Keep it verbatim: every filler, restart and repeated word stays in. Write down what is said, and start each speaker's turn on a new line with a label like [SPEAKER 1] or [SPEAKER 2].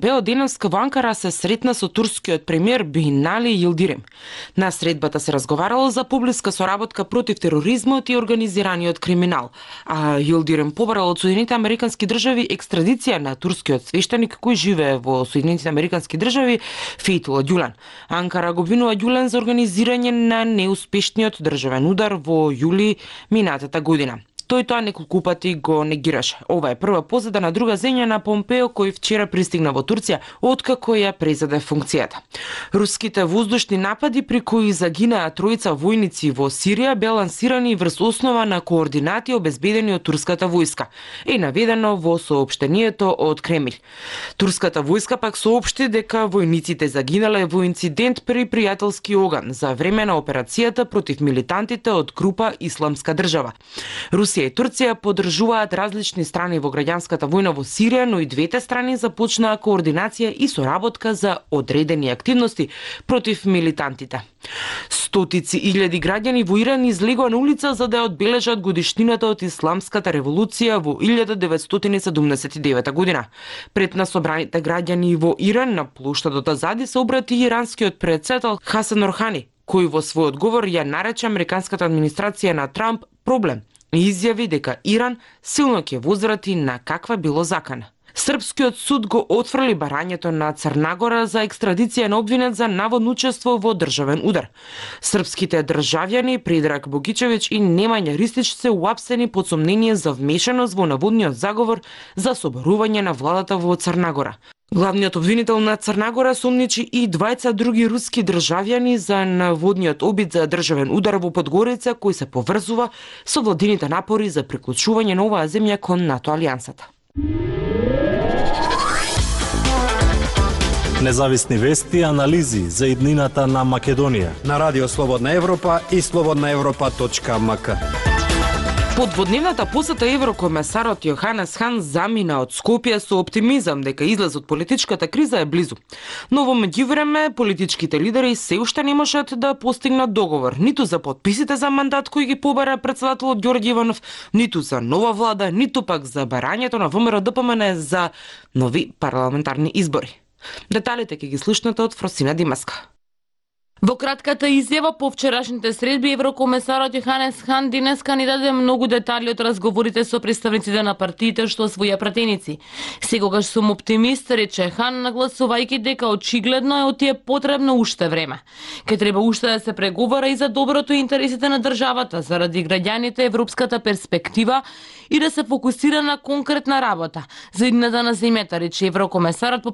[SPEAKER 1] Бео денеска во Анкара се сретна со турскиот премиер Бинали Йилдирим. На средбата се разговарало за поблиска соработка против тероризмот и организираниот криминал, а Йилдирим побарал од Соединетите Американски држави екстрадиција на турскиот свештеник кој живее во Соединетите Американски држави Фейтулла Ѓулен. Анкара го обвинува Ѓулен за организирање на неуспешниот државен удар во јули минатата година. Тој тоа неколку пати го негираше. Ова е прва позада на друга земја на Помпео кој вчера пристигна во Турција откако ја презеде функцијата. Руските воздушни напади при кои загинаа тројца војници во Сирија беа лансирани врз основа на координати обезбедени од турската војска, е наведено во соопштението од Кремљ. Турската војска пак соопшти дека војниците загинале во инцидент при пријателски оган за време на операцијата против милитантите од група Исламска држава. Русија и Турција поддржуваат различни страни во граѓанската војна во Сирија, но и двете страни започнаа координација и соработка за одредени активности против милитантите. Стотици илјади граѓани во Иран излегоа на улица за да одбележат годишнината од Исламската револуција во илјада деветстотини и седумдесет и девета година. Пред на собраните граѓани во Иран на плоштадот Азади се обрати иранскиот претседател Хасан Рохани, кој во свој одговор ја нарече американската администрација на Трамп проблем и изјави дека Иран силно ќе возврати на каква било закана. Српскиот суд го отфрли барањето на Црнагора за екстрадиција на обвинет за наводно учество во државен удар. Српските државјани Предраг Богичевиќ и Немања Ристич се уапсени под сомнение за вмешаност во наводниот заговор за соборување на владата во Црнагора. Главниот обвинител на Црнагора сомничи и двајца други руски државјани за наводниот обид за државен удар во Подгорица кој се поврзува со владините напори за приклучување на оваа земја кон НАТО алијансата.
[SPEAKER 2] Независни вести и анализи за иднината на Македонија
[SPEAKER 3] на Радио Слободна Европа и слободна европа точка ем ка.
[SPEAKER 1] Под дводневната посета еврокомесарот Јоханес Хан замина од Скопје со оптимизам дека излез од политичката криза е близу. Но во меѓувреме политичките лидери се уште не можат да постигнат договор ниту за подписите за мандат кој ги побара претседателот Ѓорѓе Иванов, ниту за нова влада, ниту пак за барањето на ВМРО Д П М Н за нови парламентарни избори. Деталите ќе ги слушнете од Фросина Димаска.
[SPEAKER 4] Во кратката изјава по вчерашните средби, еврокомесарот Јоханес Хан денеска ни даде многу детали од разговорите со представниците на партиите што своја пратеници. Секогаш сум оптимист, рече Хан, нагласувајќи дека очигледно е оти е потребно уште време. Ке треба уште да се преговара и за доброто и интересите на државата, заради граѓаните, европската перспектива и да се фокусира на конкретна работа. За иднината на земјата, рече еврокомесарот по